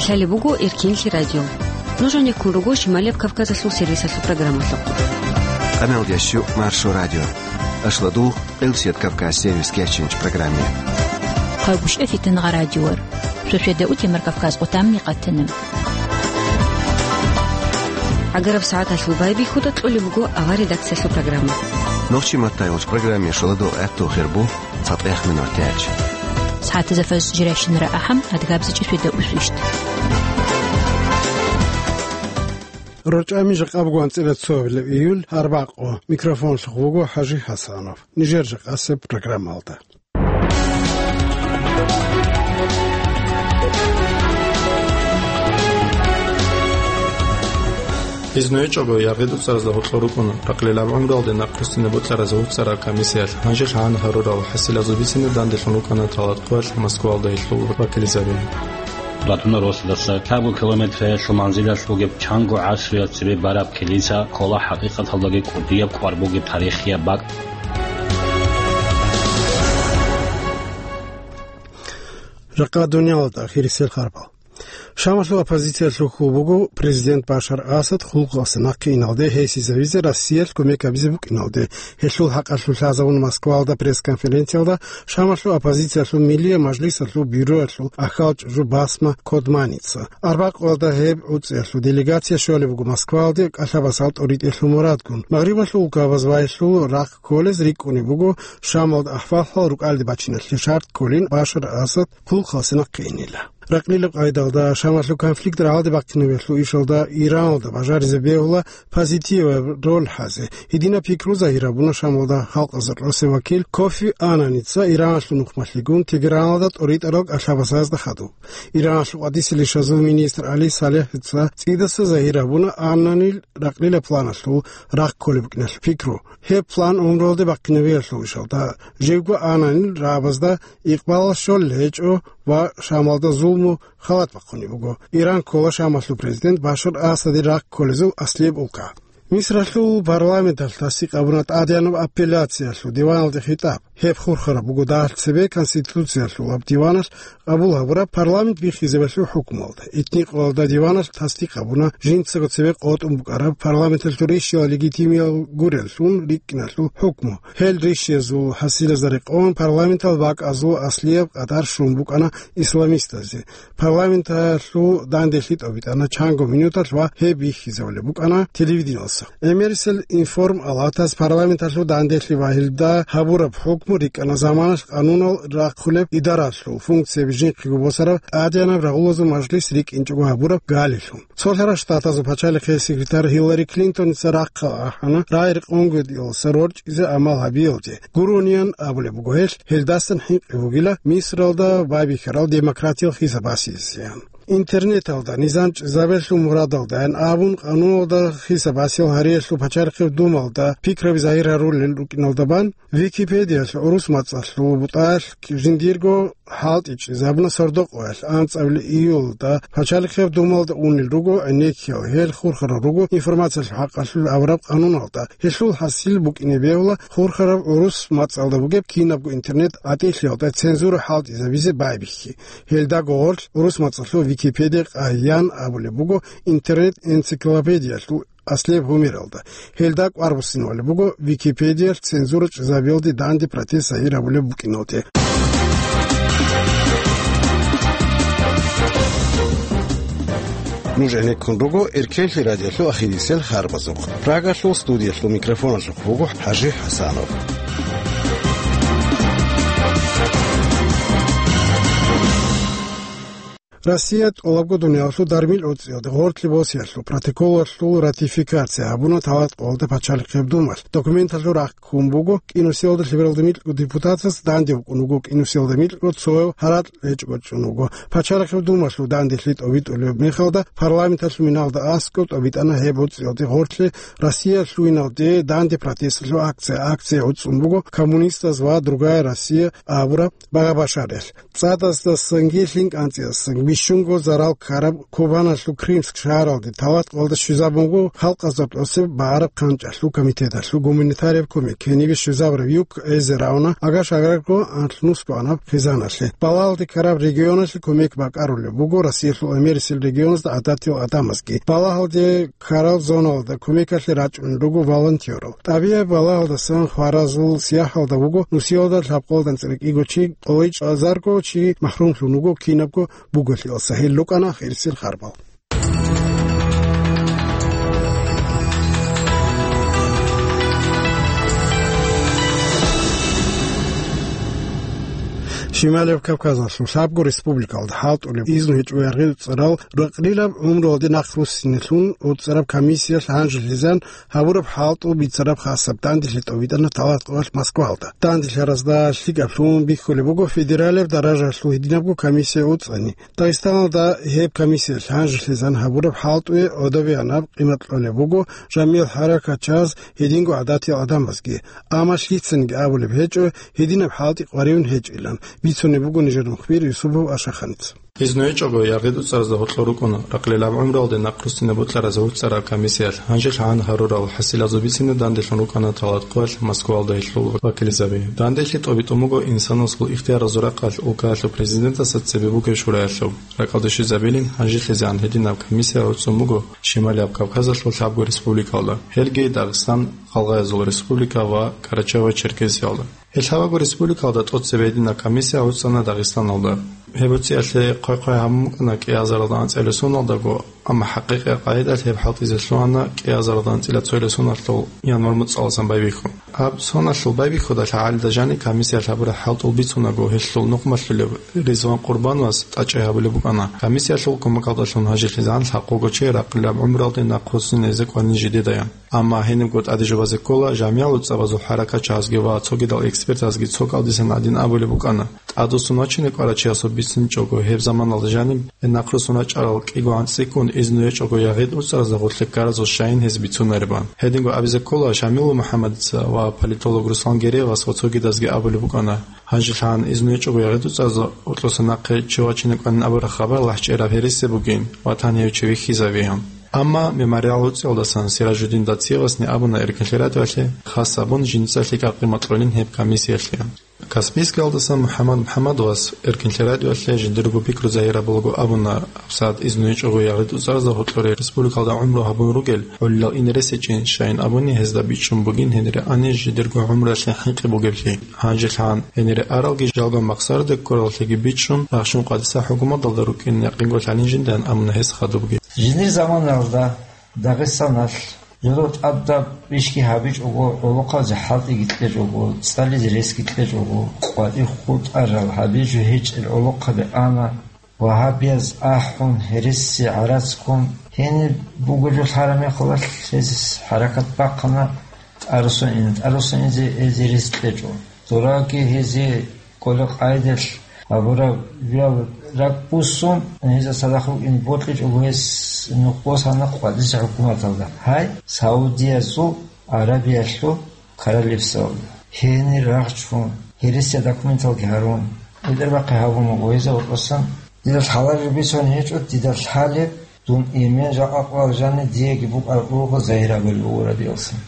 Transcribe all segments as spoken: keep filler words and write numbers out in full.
Лъалеб буго Эркенлъи радио. Нуж гьанеккун руго Шималияб Кавказалъул сервисалъул программалъухъ. Къамел ящу Маршо радио. Ашладу Къилсият Кавказ сервис кечинч программе. Хъагушев Фитнагъа радиор. Шошеда утемар Кавказ къутамни къатана. Агараб сагӀаталъул байбихьуда кьолеб буго авар редакциялъул программа. Нохчи маттайолч программе шоладо гӀатту хирбу. ЦатӀехъ минутач. СагӀатазда фаз жиращинара ахӀам, адгабзичӀи шведа усвищт. РорчӀами жакъа буго анцӀила цоабилеб июль, арбакъо. Микрофонлъухъ вуго ХӀажи ХӀасанов. Нижер жакъасеб программалда. Изну гьечӀого, яргъи-дуцаразда гьоркьор рукӀуна, ракълилаб гӀумруялде нахъ руссине бокьаразда гьуццараб комиссиялъ. Гьанже лъагӀан гьарурал хӀасилазул бицине данделъун рукӀана Талат Къоялъ Москваялда гьелъул вакилзаби. Батуна росдаса кабу километралъул манзилалъ бугеб чанго гӀасруял цебе бараб килиса ккола хӀакъикъаталдаги кӀудияб кӀвар бугеб тарихияб бакӀ. Жакъа дуниялалда ахирисел харбал. Шамалъул оппозициялъул хьул буго президент Башар Асад хъулухъалъе нахъе иналде гьесизавизе Россиялъ кумек гьабизе букӀиналде. Гьелъул хӀакъалъулъ лъазабун Москваялда пресс-конференциялда Шамалъул оппозициялъул Миллияб мажлисалъул бюроялъул ахал чӀужу Басма Кодманица. Арбакъоялда гьеб гӀуцӀиялъул делегация щолеб буго Москваялде кӀалъабасал тӀоритӀелъул мурадгун. Магърибалъул улкабаз вайилъул рахъ кколез рикӀкӀунеб буго Шамалда ахӀвал-хӀал рукӀалде бачиналъе шарт кколин Башар Асад хъулухъалъе нахъе инила. Ракълилаб къайдалда, Шамалъул конфликт рагӀалде бахъинабиялъул ишалда Ираналда бажаризе бегьула позитиваб роль хӀазе. Гьединаб пикру загьир гьабуна Шамалда халкъазул росев вакил Кофи Ананица Ираналъул нухмалъигун Тегераналда тӀоритӀарал кӀалъабасазда хадуб. Ираналъул къватӀисел ишазул министр Али Салехица цӀидаса загьир гьабуна Ананил ракълила планалъул рахъ кколеб букӀиналъул пикру. Гьеб план гӀумруялде бахъинабиялъул ишалда, живго Ананил рагӀабазда икъбалал щолел гьечӀо ва Шамалда зулму халат бахъунеб буго. Иран ккола Шамалъул президент Башар Асадил рахъ кколезул аслияб улка. Мисралъул парламенталъ тасдикъ гьабуна тӀадегӀанаб апелляциялъул диваналде хитӀаб. Гьеб хурхараб буго дагьалъ цебе Конституциялъул аб диваналъ къабул гьабураб парламент биххизабиялъул хӀукмуялда. Итникъоялда диваналъ тасдикъ гьабуна жинцаго цебе къотӀун букӀараб парламенталъул рищиял легитимиял гуреллъун рикӀкӀиналъул хӀукму. Гьел рищиязул хӀасилазда рекъон парламентал бакӀазул аслияб къадар щун букӀана исламистазе. Парламенталъул данделъи тӀобитӀана чанго минуталъ ва гьеб биххизабулеб букӀана телевидениялъа. ГӀемерисел информ алатас парламенталъул данделъи ва гьелда гьабураб хӀукму рикӀкӀана заманалъ къанунал рахъулеб идаралъул функцияби жинхъего босараб тӀадегӀанаб рагъулазул мажлис рикӀкӀинчӀого гьабураб галилъун. Цолъарал Штатазул пачалихъе секретарь Гьиллари Клинтоница рахъал ахӀана рагӀи-рекъонгутӀиялдаса рорчӀизе гӀамал гьабиялде. Гурониян абулеб буго гьелъ, гьелдасан хӀинкъи бугила Мисралда байбихьарал демократиял хисаб басизе. Интернеталда низам чӀезабиялъул мурадалдайин абун, къануналда хисаб басиялъ гьариялъул пачалихъеб думалда пикраби загьир гьарулел рукӀиналда бан, Википедиялъ гӀурус мацӀалъул бутӀаялъ жиндирго хӀалтӀи чӀезабуна сордо-къоялъ анцӀабилеб июлда пачалихъеб думалда унел руго гӀенеккиял, гьел хурхарал руго информациялъул хӀакъалъулъ авараб къануналда. Гьелъул хӀасил букӀине бегьула хурхараб гӀурус мацӀалда бугеб кинабго интернет гӀатӀилъиялда цензура хӀалтӀизабизе байбихьи. Гьелдаго гъорлъ гӀурус мацӀалъул Википедия къайян абулеб буго интернет-энциклопедиялъул аслияб гьумералда. Гьелда кӀвар буссинабулеб буго Википедиялъ цензура чӀезабиялде данде протест загьир гьабулеб букӀиналде. Нуж гӀенеккун руго Эркенлъи радиолъул ахирисел харбазухъ. Прагалъул студиялъул микрофоналъухъ вуго ХӀажи ХӀасанов. Россия тӀолабго дуниялалъул дармил гӀуцӀиялде гъорлъе босиялъул протоколалъул ратификация гьабуна Талат Къоялда пачалихъеб думалъ. Документалъул рахъ ккун буго кӀинусиялда лъебералда микьго депутатас, данде букӀун вуго кӀинусиялда микьго, цояв гьаракь гьечӀого чӀун вуго. Пачалихъеб думалъул данделъи тӀобитӀулеб мехалда парламенталъул миналда аскӀоб тӀобитӀана гьеб гӀуцӀиялде гъорлъе Россия лъугьиналде данде протесталъул акция. Акция гӀуцӀун буго «Коммунистас ва другая Россия» абураб багъа-башариялъ. ЦӀадасдасанги лъим кӀанцӀидасан Щунго зарал ккараб Кубаналъул Крымск шагьаралде талат къоялда щвезабун буго халкъазда тӀоцеб багӀараб хъанчӀалъул комитеталъул гуманитарияб кумек. Гьенибе щвезабураб юк эзе равна агаш-агарго анлънус кьванаб хъизаналъе. Балагьалде ккараб регионалъе кумек бакӀарулеб буго Россиялъул гӀемерисел регионазда гӀадатиял гӀадамазги. Балагьалде ккарал зоналда кумекалъе рачӀунел руго волонтерал. ТӀабигӀияб балагьалдасан хваразул сияхӀалда вуго нусиялда лъабкъоялда анцӀила кӀиго чи, къоло чӀезарго чи махрумлъун вуго кинабго буголъиялдаса. Гьел рукӀана ахирисел харбал. Шималияб Кавказалъул лъабго республикалда хӀалтӀулеб изну гьечӀо яргъи-уцӀцӀарал ракълилаб гӀумруялде нахъ руссинелъун уцӀцӀараб комиссиялъ гьанжелъизан гьабураб хӀалтӀул бицараб хасаб данделъи тӀобитӀана талат къоялъ Москваялда. Данделъаразда лъикӀаблъун бихьулеб буго федералияб даражалъул гьединабго комиссия уцӀцӀани. Дагъистаналда гьеб комиссиялъ гьанжелъизан гьабураб хӀалтӀуе гӀодобеянаб къимат кьолеб буго жамигӀ хӀаракатчияз, гьединго гӀадатиял гӀадамазги. Амма лъицаниги абулеб гьечӀо, гьединаб хӀалтӀи къваригӀун гьечӀилан, бицунеб буго нижер мухбир Юсупов Ашаханица. Изну гьечӀого яргъи-дуцӀаразда гьоркьор рукӀуна ракълилаб гӀумруялде нахъ руссине бокьаразда уцӀцӀараб комиссиялъ гьанжелъ гьан гьарурал хӀасилазул бицине данделъун рукӀана талат къоялъ Москваялда гьелъул вакилзаби. Данделъи тӀобитӀун буго инсанасул ихтияразул рахъалъ улкаялъул президентасда цебе бугеб шураялъул. РакӀалде щвезабилин гьанжелъизегӀан гьединаб комиссия гӀуцӀун буго Шималияб Кавказалъул лъабго республикалда, гьелги Дагъистан, Гъалгъаязул республика ва Карачаево-Черкесиялда. Гьел лъабабго республикалда тӀоцебе гьединаб комиссия гӀуцӀана Дагъистаналда. Гьеб гьуцӀиялъе хъвай-хъвай гьабун букӀана кӀиазаралда анцӀила соналдаго, амма хӀакъикъияб къагӀидалъ гьеб хӀалтӀизе лъугьана кӀиазаралда анцӀила цоял соналъул январь муцӀаласан байбихьун. Гьаб соналъул байбихьудалъ гьагӀалида жаниб комиссиялъ гьабураб хӀалтӀул бицунаго, гьелъул нухмалъулев Ризван Къурбановас тӀачӀай гьабулеб букӀана, комиссиялъул кумекалдалъун гьанжелъизегӀан лъабкъого чи ракълилаб гӀумруялде нахъ руссинезе кӀванин жидедаян. Амма гьенибго тӀаде жубазе ккола жамигӀал уцӀцӀабазул хӀаракатчиязги ва цогидал экспертазги цо кӀалдисан гӀадин абулеб букӀана, тӀадвуссун вачине кӀварав чиясул бицинчӀого, гьеб заманалда жаниб нахъ руссун рачӀарал кӀиго анцӀиккун изну гьечӀого яргъи-дуцӀаразда гъорлъе ккаразул щайин гьез бицунаребан. Гьединго абизе ккола, Шамилов МухӀаммадица ва политолог Руслан Гереевас ва цогидазги абулеб букӀана, гьанжелъагӀан изну гьечӀого яргъи-дуцӀаразда гьоркьоса нахъе чи вачине кӀванин абураб хабар лъахӀчӀераб гьересияб бугин ва тан гьев чи вихьизавигӀан. Амма Мемориал уцӀиялдасан Сиражуддин Дациевасни абуна Эркинлъи радиоялъе, хас гьабун жинца лъикӀаб къимат кьолин гьеб комиссиялъе. Каспийскиялдасан МухӀаммад МухӀаммадовас Эркинлъи радиоялъе жиндирго пикру загьир гьабулаго абуна, гьабсагӀат изну гьечӀого яргъи-дуцӀаразда гьоркьоре республикалда гӀумру гьабун ругел гӀолилал ине ресечӀин, щайин абуни гьезда бичӀчӀун бугин гьенире ани жидерго гӀумруялъе хӀинкъи бугеблъи. ГьанжелъагӀан гьенире аралги жалго махсараде ккораллъиги бичӀчӀун, рахщун къадиса хӀукуматалда рукӀин якъинго лъалин жиндан абуна гьес хадубги. Жиндир заманалда Дагъистаналъ жодор тӀадаб ишги гьабичӀого, гӀолохъабазе хӀалтӀиги кьечӀого, цӀализе ресги кьечӀого, къватӀир хутӀарал гьабизе жо гьечӀел гӀолохъаби ана, вагьабияз ахӀун, гьереси гӀарац ккун, гьениб буго жо лъараб мехалъ гьез хӀаракат бахъана, тӀаруссун ина, тӀаруссун изе гьез гьерес кьечӀо. Дораги гьезе кӀолеб къайдалъ гьабураб виял ракӀбуссун, гьезда цадахъ букӀине бокьичӀого гьес нух босана къватӀиса хӀукуматалда. Гьай, Саудиязул Арабиялъул королевствалда. Гьенир рагъчун, гьересияб документалги гьарун, бетӀербахъи гьабун буго гьезда гьоркьосан. Дида лъалареб бицун гьечӀо, дида лъалеб, дун эмен жакъа къвал жаниб диеги букӀараб буго загьир абулеб буго радиалсан.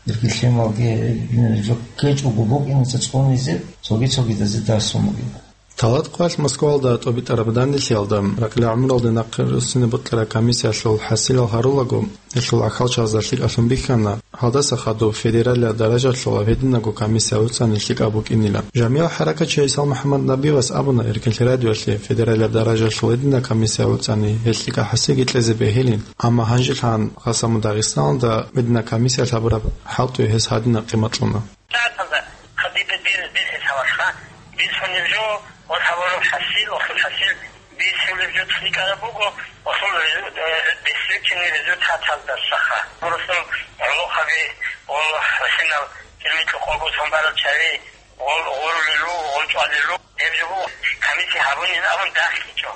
Ирги лъималги гьеб жо ккечӀого букӀиница цӀунизе, цоги-цогидазе дарсун бугеб. Талат къоялъ Москваялда тӀобитӀараб данделъиялда ракьилаб гӀумруялде нахъе руссине бокьараб комиссиялъул хӀасилал гьарулаго, гьелъул ахӀалчагӀазда лъикӀаблъун бихьана, гьалдаса хадуб федералияб даражалъул гьединабго комиссия гӀуцӀани лъикӀаб букӀинилан. ЖамигӀал хӀаракатчи ГӀисал МухӀаммад Набиевас абуна Эркинлъи радиоялъе, федералияб даражалъул гьединаб комиссия гӀуцӀани гьел лъикӀаб хӀасилги кьезе бегьилин, амма гьанжелъагӀан Гъасаму Дагъистаналда гьединаб комиссиялъ гьабураб хӀалтӀуе гьес гьадинаб къимат кьуна. ТӀатазда хадиба дир бихьи саварха, бицунеб жо ва савараб хӀасил, ва хӀасил бицунеб жо цӀикӀкӀараб буго, ва хул резу-, э, бицунеб результаталдасаха. Бурусун гӀолохъаби, гъол хӀасинал кирмикьухъого цун барал чари, гъол гъорулел руго, гъол чӀвалел руго. Гьеб жо буго, комиссия гьабунин абун дагьлъичӀо.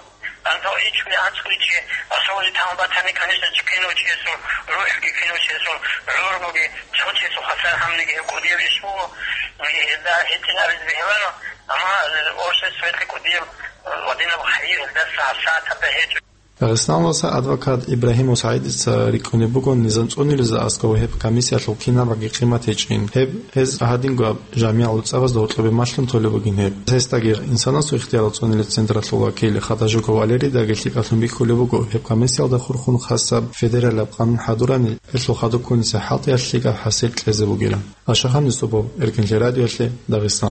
АнцӀго ичӀго, анцӀго ичӀго, асули тан батани, конечно, чи кинав чиясул рухӀги, кинав чиясул гӀумруги, цо чиясул хвасар гьабниги гьеб кӀудияб иш буго, гьелда гьитӀинабизе бегьуларо, амма, э, обществоялъе кӀудияб Гьадинаб хайи гьелдаса гьабсагӀат гьаб гьечӀо. Дагъистаналдаса адвокат Ибрагьимов СагӀидица рикӀкӀунеб буго низам цӀунулезда аскӀов гьеб комиссиялъул кинабги къимат гьечӀин. Гьеб гьез гьадингояб жамигӀал цӀабазда гьоркьобе малъун толеб бугин гьеб. Гьесдаги инсанасул ихтиярал цӀунулел централъул вакил Хадажуков Валерийдаги лъикӀалъун бихьулеб буго гьеб комиссиялда хурхун хасаб федералаб къанун хӀадурани, гьелъул хадуб ккуниса хӀалтӀиялъ лъикӀаб хӀасил кьезе бугилан. Ашахан Юсупов, Эркенлъи радиоялъе, Дагъистан.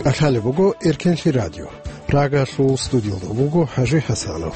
КӀалъалеб буго Эркенлъи радио. Прагалъул студиялда вуго ХӀажи ХӀасанов.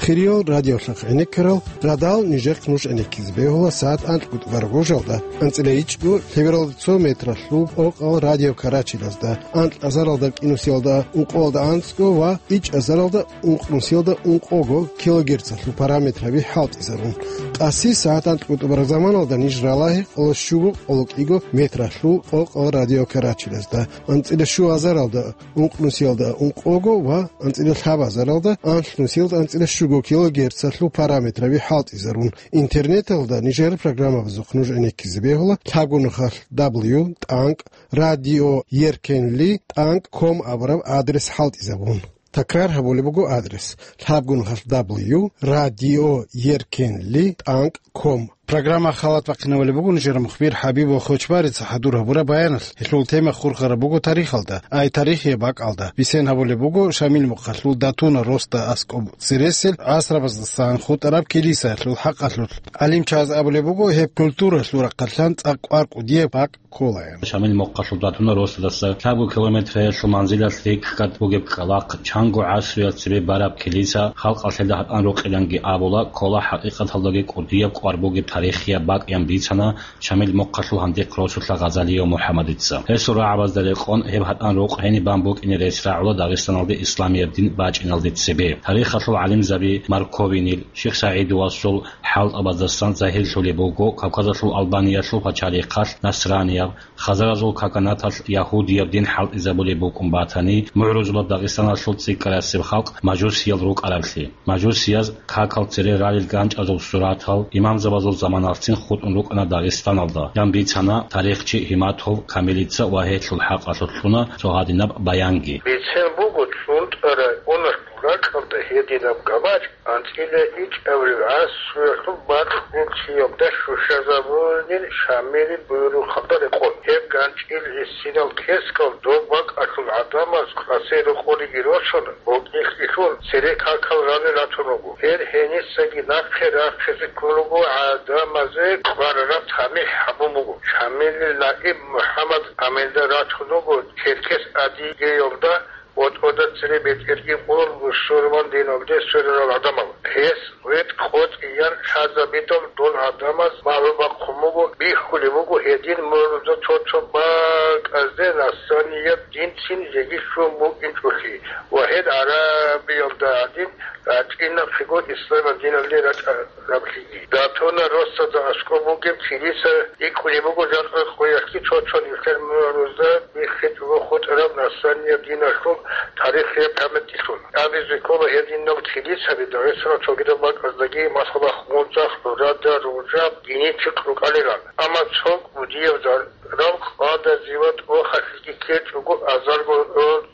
Хириял радиолъахъ гӀенеккарал, радал нижехъ нуж гӀенеккизе бегьула сагӀат анкьго тӀубараб гожалда, анцӀила ичӀго лъебералда цо метралъул къокъал радиокарачилазда, анкь азаралда кӀинусиялда ункъоялда анцӀго ва ичӀ азаралда ункънусиялда ункъого килогерцалъул параметраби хӀалтӀизарун. ТӀаси сагӀат анкьго тӀубараб заманалда ниж ралагье къоло щуго къоло кӀиго метралъул къокъал радиокарачилазда, анцӀила щу азаралда ункънусиялда ункъого ва анцӀила лъаб азаралда анлънусиялда анцӀила щуго килогерцалъул параметраби хӀалтӀизарун. Интернеталда нижер программабазухъ нуж гӀенеккизе бегьула лъабго нухалъ дабл ю тӀанкӀ радио еркенли тӀанкӀ ком абураб адрес хӀалтӀизабун. Такрар гьабулеб буго адрес: лъабго нухалъ дабл ю радио еркенли тӀанкӀ ком. Программа халат бахъинабулеб буго нижер мухбир ХӀабиб Вахочбарица хӀадур гьабураб баяналъ. Гьелъул тема хурхараб буго тарихалда, ай тарихияб бакӀалда. Бисен гьабулеб буго Шамил мухъалъул Датуна росда аскӀоб цересел гӀасрабаздасан хутӀараб килисаялъул хӀакъалъулъ. ГӀалимчияз абулеб буго, гьеб культуралъул рахъалъан цӀакъ кӀвар кӀудияб бакӀ кколаян. Шамил мухъалъул Датуна росдаса лъабго километраялъул манзилалъ рикӀкӀад бугеб кӀкӀалахъ, чанго гӀасруял цебе бараб килиса, халкъалъ гьелда гьатӀан рокъиланги абула, ккола хӀакъикъаталдаги кӀудияб кӀвар бугеб тарихияб бакӀ, ян бицана Шамил мухъалъул гьандихъ росулъа Гъазалиев МухӀаммадица. Гьесул рагӀабазда рекъон, гьеб гьатӀан рокъ гьениб бан букӀине рес рагӀула Дагъистаналде исламияб дин бачӀиналде цебе. Тарихалъул гӀалимзаби Марковинил, Шихсагьидовасул хӀалтӀабаздасан загьирлъулеб буго Кавказалъул Албаниялъул пачалихъалъ насранияб, хазаразул каганаталъ ягьудияб дин хӀалтӀизабулеб букӀун батани, мугӀрузулаб Дагъистаналъул цӀикӀкӀарасеб халкъ мажусиял рукӀараблъи. Мажусияз какал цере ралел ганчӀазул суратал, имамзабазул заманалъцин хутӀун рукӀана Дагъистаналда, ян бицана тарихчи Гьиматов Камилица ва гьелъул хӀакъалъулъ кьуна цо гьадинаб баянги. Бицен буго ЦӀунтӀа районалъул ракьалда гьединаб гамачӀ анцӀила ичӀабилеб гӀасруялъул бакьулъиялда щущазабунин Шамилил буюрухъалда рекъон. Гьеб ганчӀил гьесинал кескал доб бакӀалъул гӀадамаз къасе рокъориги росун, бокьихьилъун, цере какал ралел ратун руго. Гьел гьенисаги нахъе рахъизе ккун руго гӀадамазе кӀварараб тамихӀ гьабун буго. Шамилил наиб МухӀаммад Аминда ратун руго Черкес Адигеялда, БетӀерда цере бетӀерги къоялъ бусурман диналде сверарал гӀадамал. Гьес гъветӀ къотӀиян лъазабидал дол гӀадамаз магӀлум бахъун буго, бихьулеб буго гьедин мугӀрузда цо-цо бакӀазде насранияб динцин жеги щун букӀинчӀолъи ва гьел гӀарабиялда гӀадин рачӀинахъего исламияб диналде рачӀа-, раблъиги. Датуна росдада аскӀоб бугеб килиса рикӀкӀунеб буго жакъа къоялъги цо-цо нилъер мугӀрузда биххичӀого хутӀараб насранияб диналъул тарихияб памятилъун. Абизе ккола гьединал килисаби Дагъистаналъ цогидаб бакӀаздаги, масала, Хунзахъ, ГӀурада, Ружаб, Гьиничихъ рукӀанилан. Амма цо кӀудияб зарал къадазиват вахалъиги ккечӀого азарго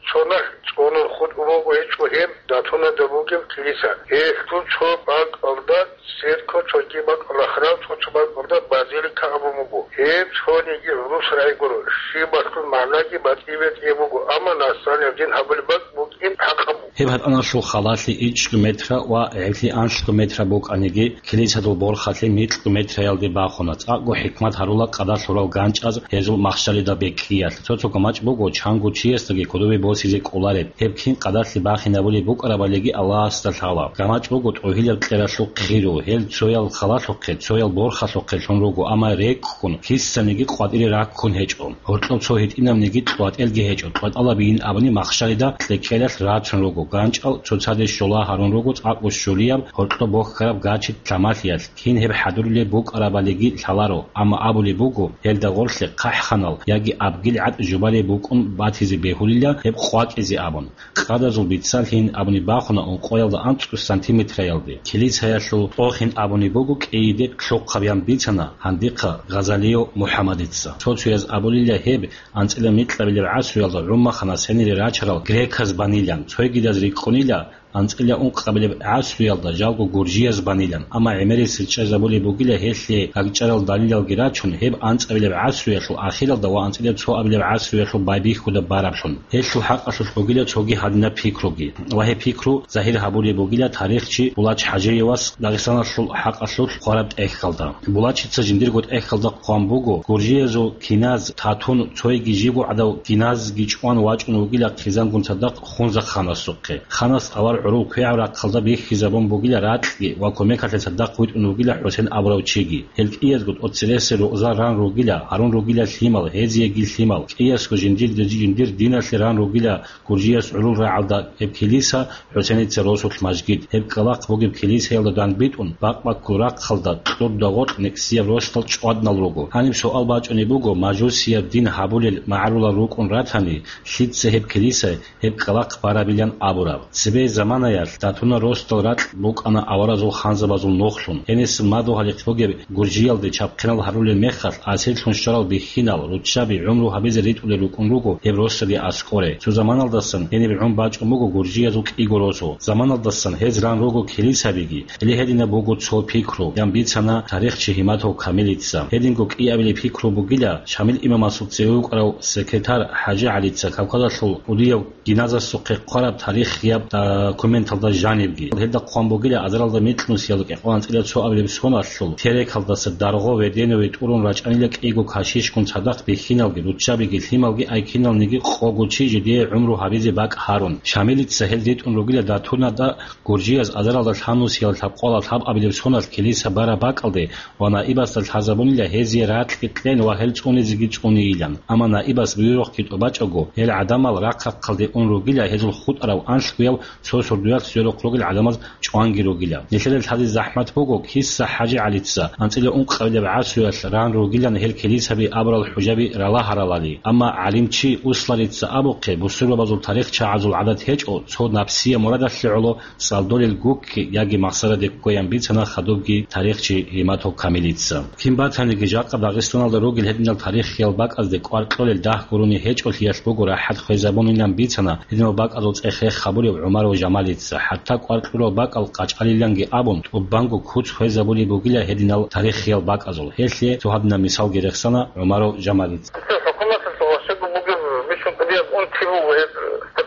цоналъ цӀунун хутӀун буго гьечӀо гьеб Датунада бугеб килиса. Гьелъул цо бакӀалда церква, цоги бакӀалда храм, цо-цо бакӀалда базилика абун буго. Гьеб цониги гӀурус рагӀи гуро, щибалъул магӀнаги батӀи-бетӀи буго, амма насранияб дин гьабулеб бакӀ букӀин хӀакъаб буго. Гьеб гьатӀаналъул халалъи ичӀго метра ва гӀебли анлъго метра букӀаниги, килисадул борхалъи микьго метраялде бахуна. ЦӀакъго хӀикмат гьарула къадалъурал ганчӀаз гьезул махщалида бекӀиялъ. Цо-цо гамачӀ буго, чанго чиясдаги кодобе босизе кӀолареб. Гьеб кин къадалъи бахинабулеб букӀарабалиги Аллагьасда лъала. ГамачӀ буго тӀогьилаб кьералъул хъиру, гьел цоял халалъухъе, цоял борхалъухъе лъун руго, амма рекӀкӀун, кисаниги къватӀире раккун гьечӀо. Гьоркьоб цо гьитӀинабниги кьватӀелги гьечӀо, кьватӀалабийин абуни махщалида кьекелалъ рацун руго, ганчӀал цоцаде щола гьарун руго цӀакъго щулияб, гьоркьоб бохьараб гачи тӀамалъиялъ. Кин гьеб хӀадурулеб букӀарабалиги лъаларо, амма абулеб буго, гьелда гъорлъе сахӀханал яги абгил гӀатӀ жубалеб букӀун батизе бегьулила гьеб къвакӀизе абун. Къадазул бицалъин абуни бахуна ункъоялда анцӀго сантиметраялде. Килицаялъул тӀохин абуни буго кӀийиде лъухъаб ян бицана гьандихъа Гъазалиев МухӀаммадица. Цо-цояз абулила гьеб анцӀила микьабилеб гӀасруялда гӀумахана сенире рачарал греказ банилан, цойгидаз рикӀкӀунила анцӀила ункъабилеб гӀасруялда жалго гуржияз банилан, амма гӀемерисел чӀезабулеб бугила гьелъие гагчӀарал далилалги рачун, гьеб анцӀабилеб гӀасруялъул ахиралда ва анцӀила цоабилеб гӀасруялъул байбихьуда бараблъун. Гьелъул хӀакъалъулъ бугила цоги гьадинаб пикруги. Ва гьеб пикру загьир гьабулеб бугила тарихчи Булач ХӀажиевас Дагъистаналъул хӀакъалъулъ хъвараб тӀехьалда. Булачица жиндирго тӀехьалда хъван буго, гуржиязул киназ Татун цойги жибго гӀадав киназги чӀван вачӀун вугила хъизангун цадахъ Хунзаханасухъе. Ханас авар гӀурул квегӀаб рахъалда бихьизабун бугила ракьги ва кумекалъе цадахъ витӀун вугила ХӀусен абурав чиги. Гьел кӀиязго тӀоцересел рукъзал ран ругила, гьарун ругила лъимал, гьезиеги лъимал. КӀиясго жиндир, жиндир диналъе ран ругила гуржияс гӀурул рагӀалда гьеб килиса, ХӀусеница росулъ мажгит. Гьеб кӀкӀалахъ бугеб килисаялда данбитӀун, бакъ-баккул рахъалда кьурда гъоркь никсияб росдал чӀваднал руго. Гьаниб суал бачӀунеб буго, мажусияб дин гьабулел магӀарулал рукӀун ратани, лъица гьеб килиса гьеб кӀкӀалахъ барабилан абураб? Цебе заманаялъ Татуна росдал ракь букӀана аваразул ханзабазул нухлъун. Гьенисел мадугьалихъ бугеб гуржиялде чапхъинал гьарулел мехалъ, асирлъун щварал бихьинал, руччаби, гӀумру гьабизе ритӀулел рукӀун руго гьеб росаби аскӀоре. Цо заманалдасан гьениб гӀун бачӀун буго гуржиязул кӀиго росу. Заманалдасан гьез ран руго килисабиги, гьеле гьединаб буго цо пикру, ян бицана тарихчи Гьиматов Камилица. Гьединго кӀиабилеб пикру бугила, Шамил имамасул цеве вукӀарав секретарь ХӀажи ГӀалица Кавказалъул кӀудияв гиназасухъе хъвараб тарихияб документалда жанибги. Гьелда хъван бугила азаралда микьнусиялда кӀикъоялда анцӀила цоабилеб соналъул Терекалдаса Дарго Веденове тӀурун рачӀанила кӀиго кашишгун цадахъ бихьиналги, руччабиги, лъималги, айкиналниги къого чи жидее гӀумру гьабизе бакӀ гьарун. Шамилица гьел ритӀун ругила Датунада гуржияз азаралда лъабнусиялда лъабкъоялда лъабабилеб соналъ килиса бараб бакӀалде ва наибасда лъазабунила гьезие ракьги кьен ва гьел цӀунизеги цӀунейилан. Амма наибас буюрухъги тӀубачӀого, гьел гӀадамал рахъ-рахъалде ун ругила гьезул хутӀарав анлъгояв цо сордоялъ сверухъ ругел гӀадамаз чӀванги ругила. Нилъеда лъазе захӀмат буго, киса ХӀажи ГӀалица анцӀила ункъабилеб гӀасруялъ ран ругилан гьел килисаби абурал хӀужаби ралагьаралали. Амма гӀалимчи Усларица абухъе, бусурбабазул тарихчагӀазул гӀадат гьечӀо, цо напсия мурадалъе гӀоло цӀалдолел гукки яги махсараде ккоян бицана хадубги тарихчи Гьиматов Камилица. Кин батаниги, жакъа Дагъистаналда ругел гьединал тарихиял бакӀазде кӀвар кьолел дагь гурони гьечӀолъиялъ буго рахӀат хвезабунилан бицана гьединал бакӀазул цӀех-рех гьабулев ГӀумаров Жамалица. ХӀатта кӀвар кьурал бакӀал къачӀалиланги абун, тӀубанго куц хвезабулеб бугила гьединал тарихиял бакӀазул. Гьелъие цо гьадинаб мисалги рехсана ГӀумаров Жамалица. ХӀукуматалъул ващаго бугеб бищун кӀудияб унти буго гьеб.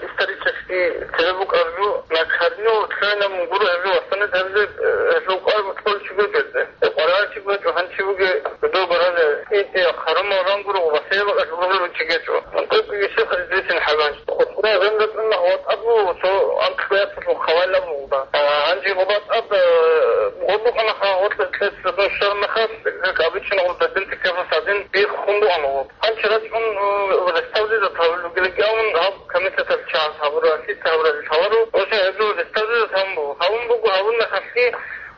Исторический цебе букӀараб жо, накарню цойилан гуро гьеб жо вассанет гьабизе, э, гьеб жо кӀвар кьолчи гьечӀо. Э, кӀваралчи гьечӀо, гьанчи буге, доб рале, инте, харумал ран гуро, ва себаб гьеб жо кьолчи гьечӀо. Мунтук исухъ известен хӀаланч. Хутбура гьеб ратӀун гьаватӀабу, цо анкьбаяталъул хавайла бугъда. А, гьанжи гъобатӀаб, э, гъобукъана ха гъотлъе кьеца дун щвармахас, как обычно, гъоб дадин тикафас гьадин биххун бугӀан гъоб. Гьанчи рачӀун, э, реставрировать гьабулел ругелги абун, гьаб комитеталъ чагӀаз гьабуралъи, гьабуралъи лъаларо. Ошан гьеб жо реставрировать гьабун буго. Гьабун мехалъги,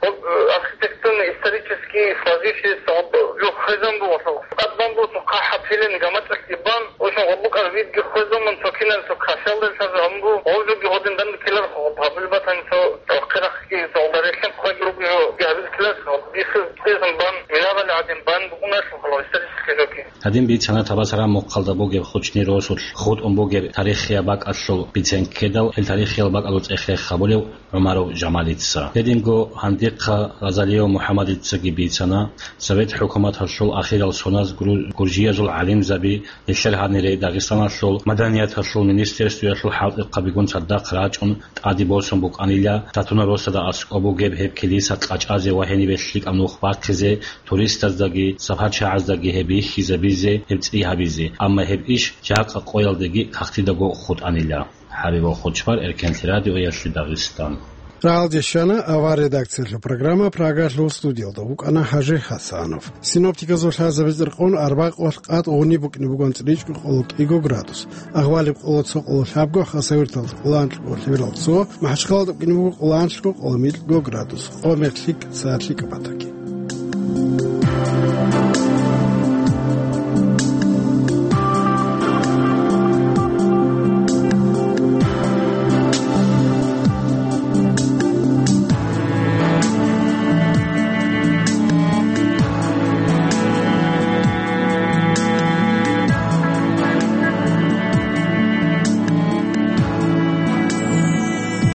гьоб, э, архитектурно-исторический сложившийся гьоб жо хвезан буго. ТӀадбан буго цо хъахӀаб пилен гамачӀалъги бан, ошан гьоб букӀар видги хвезан бан, цо кинаб цо кашалда лъазабун буго. Гьоб жоги гьодин данде ккеларха гьоб гьабил батани цо рахъи-рахъги цо гьоб релълъин хъваги руго жо гьабил ккеларха гьоб. Бихьиз цӀезан бан, минабали гӀадин бан бугуналъул хала исторический жоги. Гьадин бицана Табасаран мухъалда бугеб Хучни росулъ хутӀун бугеб тарихияб бакӀалъул бицен ккедал, гьел тарихиял бакӀалъул цӀех-рех гьабулев ГӀумаров Жамалица. Гьединго гьандихъа Гъазалиев МухӀаммадицаги бицана, Совет хӀукуматалъул ахирал соназ гуру-, гуржиязул гӀалимзаби, нилъер гьанире Дагъистаналъул маданияталъул министерствоялъул хӀалтӀухъабигун цадахъ рачӀун тӀаде босун букӀанила, Татуна росада аскӀоб бугеб гьеб килиса къачӀазе ва гьенибе лъикӀаб нух бахъизе, туристаздаги, сапарчагӀаздаги гьеб бихьизабизе, гьеб цӀи гьабизе, амма гьеб иш жакъа къоялдеги кагътидаго хутӀанила. ХӀабибул Хучбар, Эркенлъи радиоялъе Дагъистан. Рагьалде щвана авар редакциялъул программа Прагалъул, студиялда вукӀана ХӀажи ХӀасанов. Синоптиказул лъазабизе рекъон арбакъулъ къад гъуниб букӀине бугоан цӀричӀго къоло кӀиго градус, агъвалиб къоло цо къоло лъабго, хасавюрталда къоло анлъго лъеберал цо, МахӀачхъалада букӀине буго къоло анлъго къоло микьго градус, къо-мех лъикӀ, сагӀат лъикӀаб батаги.